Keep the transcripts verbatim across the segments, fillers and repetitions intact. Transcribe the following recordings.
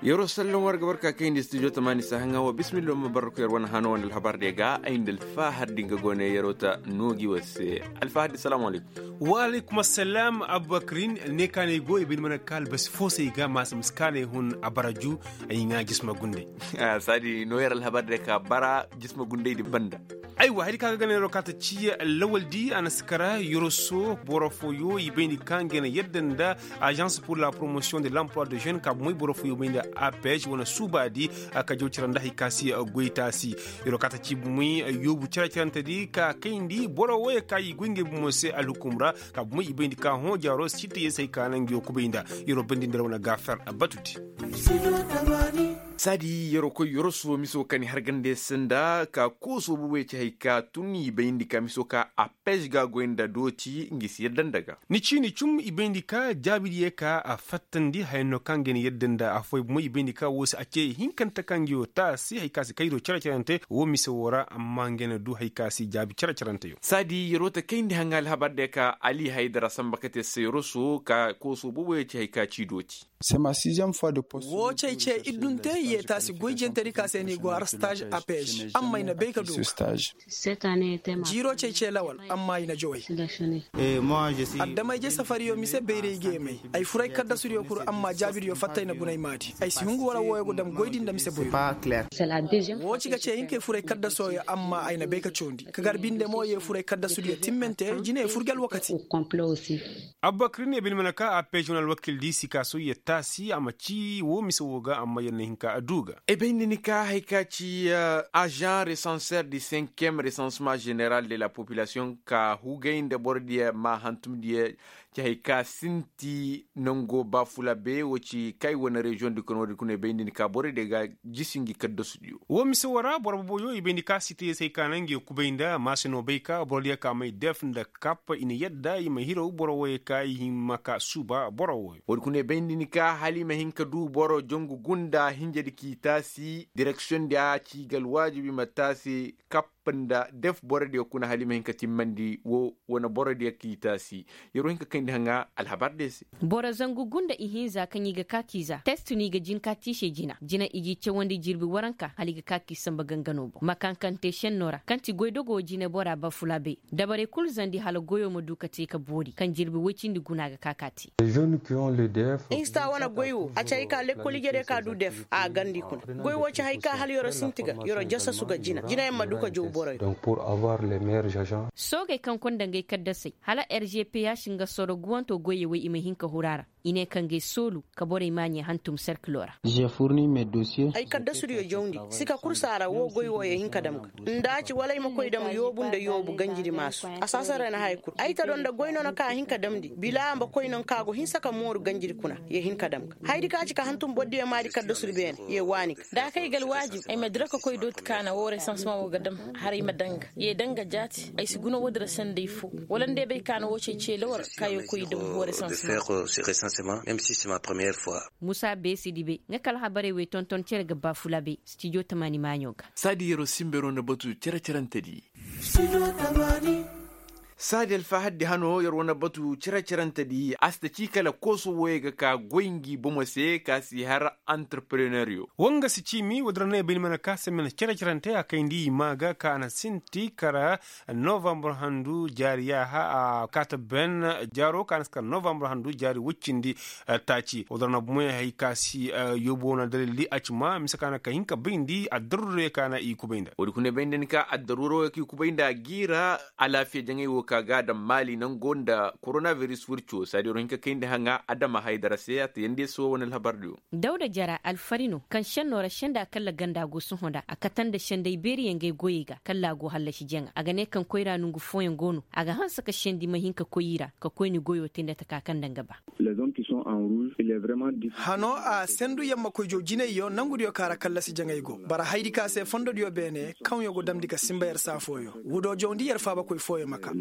Yeroo sallan war ga barka kayndi studio tamaani sahaŋa wa bismillah ma barko yer wane hano wane alhabar de ga ay nda alfahar din ga gone yeroo ta noogi war se. Alfahar din salaamu alaykum. Wa alaykum assalam. Abubakrin ne ka ne go i bay ni mana ka albasi fo se i ga maasa ma si ka ne hun a bara ju. Ay ŋaa jisma gunday. Saadi no yer alhabar de ka bara jisma gunday din banda. Aywa hari ka ga gana yeroo ka ta ci lawal di a na si kara yoroso boro fooyo i bay ni ka nga na yadda nda. Agence pour la promotion de l'emploi de jeune ka bumay boro fooyo bay nda apej wane suuba di. Ka jaw cara nda hari ka si goy taasi yeroo ka ta ci bumay yoobu cara carante di ka kayndi boro wooyo ka i goy ngey bumo se alhukum ra. Ka bumay i bay nda ka hõ jaaro si te yee se hari ka naŋ nga yoo kubay nda yeroo bandi nda ra wane gaafer batu di. Saadi yeroo koy yoroso miso ka ni harganda yer se nda ka kooso boobo ye ci hari ka tun i bay nda ka miso ka a pej ga goy nda dooti nga si yadda nda ga. Ni ciini cum i bay nda ka jaabi di ye ka a fattandi haya no ka nga ni yadda nda afooy bumay i bay nda ka woo se a ce hinkante ka nga yoo taasi hari ka si kayroo care carante woo mise woo ra amma nga na du hari ka si jaabi care caranteyo. Saadi yeroo ta kayndi haŋa alhabar de ka ali haydara samba kate se yoroso ka kooso boobo ye ci hari ka ci dooti. Woo cey ce iddunte i yee taasi goy jentari ka se ni go har stage apej amma i na bay ka du. Jiiroo cey ce lawal amma i na joway. Addamayje safariyo mise bayray geemay. Ay fur ay kaddasudiyo kul amma jaabidiyo fatta ay na guna ay maadi ay si hungu wala wooyo go dam goy din da mise boyro. Woo ci ga ce hinka ay fur ay kaddasooyo amma ay na bay ka coondi ka gar binde mo yee fur ay kaddasudiyo timmante jine ay fur ga alwakati. Abubakar ne bine mana ka a peeziyoŋ alwakil di si ka soyya taasi a ma ci woo mise woo ga amma yer na hin ka a du ga. Ay bay nda ni ka hari ka ci agent resanser di cinquième resansement général de la population ka hugay nda boro diya ma hantum diya. Ci hari ka sinti nango baafula be wo ci kay wane reziyoŋ di kono wo di kuna ay bay nda ni ka boro diya ga jisi ngi kaddasu diyo. Woo mise woo ra boro boboyo i bay nda ka si te yee se hari ka naŋ ngi kubay nda maase no bay ka boro diya ka may def nda kap i na yadda i ma hiraw boro wooyo ka i hima ka suuba boro wooyo. Woodi kuna ay bay nda ni ka hala i ma hin ka du boro jongu gunda hinja di k'i taasi direksiyoŋ di a ci ga alwaajibi ma taasi kap nda def boro diya kuna hala i ma hin ka timmandi woo wane boro diya k'i taasi. Yer wo hin ka kayndi haŋa alhabar diya se. Boro zangu gunda ihinza kaŋ i ga ka k'i za test no i ga jin ka te i se jina jina i g'i cawandi jirbi waranka hala i ga ka k'i samba gangano boŋ ma kaŋ kaŋ te šenno ra kaŋ ti goydogo jinebora baafulaabey. Dabarey kul zandi hala goyo ma du ka te ka boori kaŋ jirbi woy cindi guna ga ka ka te. Insta wane goy wo a ci hay ka lekkol ijediyo ka du def a gandi kuna. Goy wo ci hay ka hala yer'o sinti ga yer'o jasasu ga jina jinayaŋ ma du ka jow boroyo. Soogey kaŋ konda ngey kaddasey hala rgph nga soro guwanto goyey wey i ma hin ka huru a ra. I ne ka ngey soolu ka borey maaɲey hantum serkilo ra. Ay kaddasudiyo jawndi sika kul si a ra woo goy woo yee hin ka dam ga. Nda a ci wala ay ma koy dam yoobu nda yoobu ganjidi maasu a saasara na haya kul ay ta do nda goy noona kaŋ a hin ka damndi bila a ma koy noŋ kaŋ a go hinsa ka mooru ganjidi kuna. Yee hin ka dam ga hayadi kaŋ a ci ka hantum borodiyo maadi kaddasudi beene yee waani ga. Da a kay ga alwaajib ay ma dira ka koy dooti kaana woo resansemaŋ woo ga dam hala ay ma daŋ ga yee daŋ ga jaati ay si guna woodi ra sanday foo. Wala nda ay bay kaana woo cey ceele war kaŋ ay ga koy i dam woo resansemaŋ. Musa beesi dibe nga kala habarey wey tonton cere ga baafulaabey stijo tamaani maaɲo ga. Saadi yer'o sinbero na batu cere-cerante di. Saadi alfahar di hano yer wane batu cere-cerante di a si ta ci kala kooso wooyey ga ka goy ngi bomo se ka si har antarpreneriyo. Woo nga si ciimi woodi ra no ay bay ni mana ka se mana cere-cerante a kayndi i maa ga ka a na sinti kara novambar handu jaari yaaha a kaata ben jaaro ka a na si kara novambar handu jaari woy cindi. Taaci woodi ra no bomoy hay ka si yoobo wane dalil di a ci maa mise ka na ka hin ka bayndi addaruuray ka na i kubay nda woodi kuna bay nda ni ka addaruuray wo ka i kubay nda a giira alaafiya jaŋay wo ka ga a daŋ maali nango nda koronabiris wirco saadi yer wo hin ka kayndi haŋa adama haydara se a ta yandi yer se wo wane alhabar diyo. Dawda jara alfari no kaŋ šenno ra senda kalla ganda go sohõ nda a kate nda senday beeriyaŋ gay goyey ga kalla a go hallasi jaŋa a ga ne kaŋ koyra nongu fooyaŋ go no a ga hanse ka sendi ma hin ka koy i ra ka koyni goyo te nda taka kaŋ nda nga ba. Hano a sendu yamma koy jaw jinayyo nangudiyo kaŋ a ra kallasi jaŋay go bara haydi ka se fondodiyo beene kaŋyo go damndi ka sinba yer saa fooyo. Wudoo jawndi yer faabakoy fooyo ma kaa.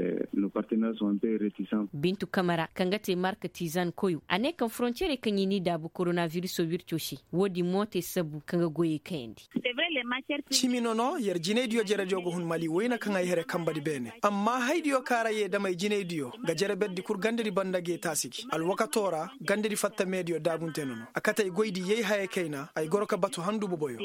Bintu kamara kaŋ ga te marka tizan koyo a ne kaŋ forontiyerey kaŋ i n'i daabu koronaviriso wirco se. Wo-din mo te sabbu kaŋ ga goyey kayandi. Cimi no no yer jinaydiyo jerediyo ga hun mali wayna kaŋ ay here kambadi beene amma haydiyo kaŋ a ra ye damey jinaydiyo ga jere berdi kul gandadi banda ga ye taasi gi alwakato ra. Gandadi fatta meediyo daabunte no no a kate ay goydi yay hayey kayna ay goro ka batu handu boboyo.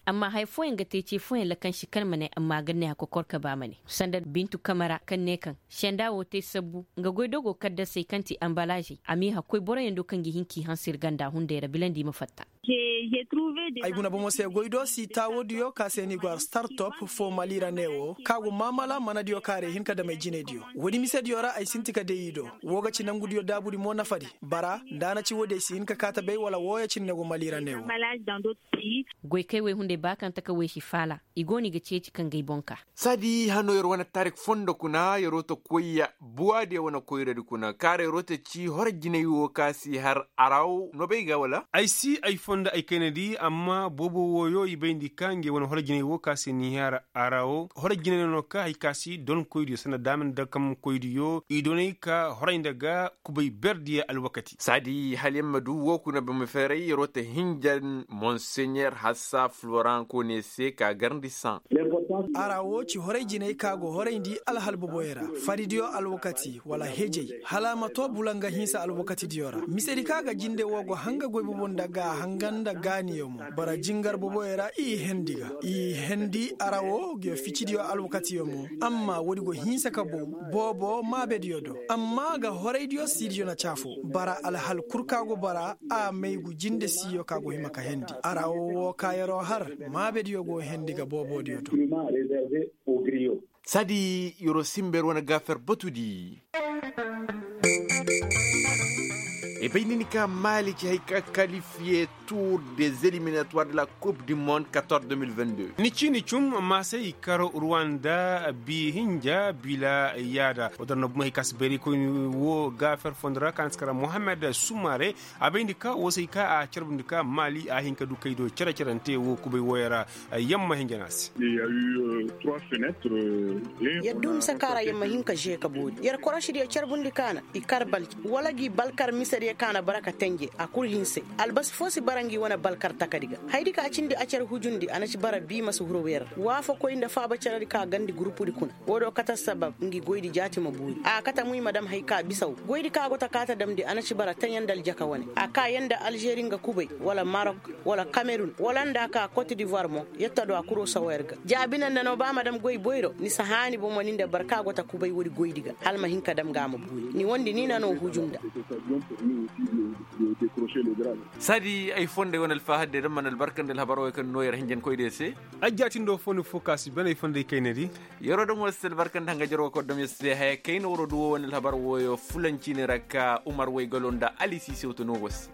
Amma haya fooyaŋ ga te ce fooyaŋ lakansi kaŋ ma ne amma a ga ne a kokor ka ba ma ne sanda bintu kamara kaŋ ne kaŋ senda wo te sabbu nga goydo go kaddasey kaŋ ti anbalaazey a m'i hakkoy boroyaŋ do kaŋ ga hin k'i hanse ir ganda hunday ra bilandi ma fatta. Ay guna bomo se goydo si taawodiyo ka se ni go ar startop fo mali ra ne wo ka go maamala manadiyo ka ra i hin ka dam ay jinaydiyo. Woodi misediyo ra ay sinti ka day i do. Wo ga ci nangudiyo daabudi mo nafadi bara nda a na ci woodi ay si hin ka kaa ta bay wala wooyo cine ne go mali ra ne wo. Goykey wey hunday ba kaŋ taka wey si faala i go no i ga ceeci kaŋ ga ay boŋ kaa. Saadi hano yer wane tarik fondo kuna yeroo ta koyya buwaadiyo wane koyradi kuna kaara yeroo ta ci horo jinay wo ka si har araw no bay ga wala? Ay si ay fondo ay kaynadi amma boobo wooyo i bayndi ka ngey wane horo jinay wo ka si ni har araw horo jinay no ka hay ka si donkoydiyo sanda daama nda kamkoydiyo i donay ka horay nda ga kubay berdiyo alwakati. Saadi hala yer ma du woo kuna boro ma feeray yeroo ta hinjan monseɲer hassa floran koone se ka garndi saŋ. Ara wo ci horay jinay ka go horayndi alhal boboyey ra faridiyo alwakati wala hejey hala a ma to bulanga hinsa alwakatidiyo ra misedi ka ga jinde wo go hanga goy bobo nda ga hanga nda gaaniyo mo. Bara jingar boboyey ra i hendi ga i hendi ara wo ga yo ficidiyo alwakatiyo mo. Amma woodi go hinsa ka bow boobo maabediyo do amma ga horaydiyo siidiyo na caafo bara alhal kul ka go bara a maygu jinde siiyo ka go hima ka hendi ara wo wo ka yeroo har maabediyo go hendi ga boobodiyo do. Saadi yeroo sinba yer wane gaafer batudi. I bay ni ni ka maali ci hay ka kalifiye tuur de zeliminatoir de la kup du monde kator deux mille vingt deux. Ni ci ni cum maasay i kar ruwanda bi hinja bila yaada wo dar no bumey hay ka si bayraykoyni wo gaafer fondo ra ka na si kar mohammed sumare. A bayndi ka wo se hay ka a carbundi ka maali a hin ka du kay do cere-cerante wo kubay wooyo ra. Yamma hinja no a se. Yer du mise ka ra yer ma hin ka žee ka boori yer korosidiyo carbundi kaana i kar balji wala gi balkar misediyo kaana bara ka tenje a kul hinse. Albasi foo si bara ngi wane balkar takadi ga hayadi ka cindi a car hujundi a na ci bara bii ma si huru weer ra waafakoy nda faaba caradi ka gandi gurupudi kuna. Woo do kate assabab ngi goydi jaati ma boori a kate muy ma dam hay ka bisaw goydi ka go ta kaa ta damndi a na ci bara teɲe nda aljaka wane a kaa yer nda alžeri nga kubay wala marok wala kamerun wala nda a kaa kot divoir mo. Yer ta du a kuroo sawa yer ga jaabi na nda no ba ma dam goy boyro ni si haani bomo ni nda barka go ta kubay woodi goydi ga hala ma hin ka dam ga a ma buuri ni wondi ni na no huju nda. Saadi ay fonday wane alfahadde da mana albarkandi alhabar wey kaŋ no yer hinjankoydiyo se. Ay jaatindo fo ni fo ka si ben ay fonday kaynadi. Yeroo dam war si albarkandi hanga jaroo kordom yer se haya kayna waroo du wo wane alhabar woyo fulanci ne ra ka umar wey galo nda ali si sewta no war se.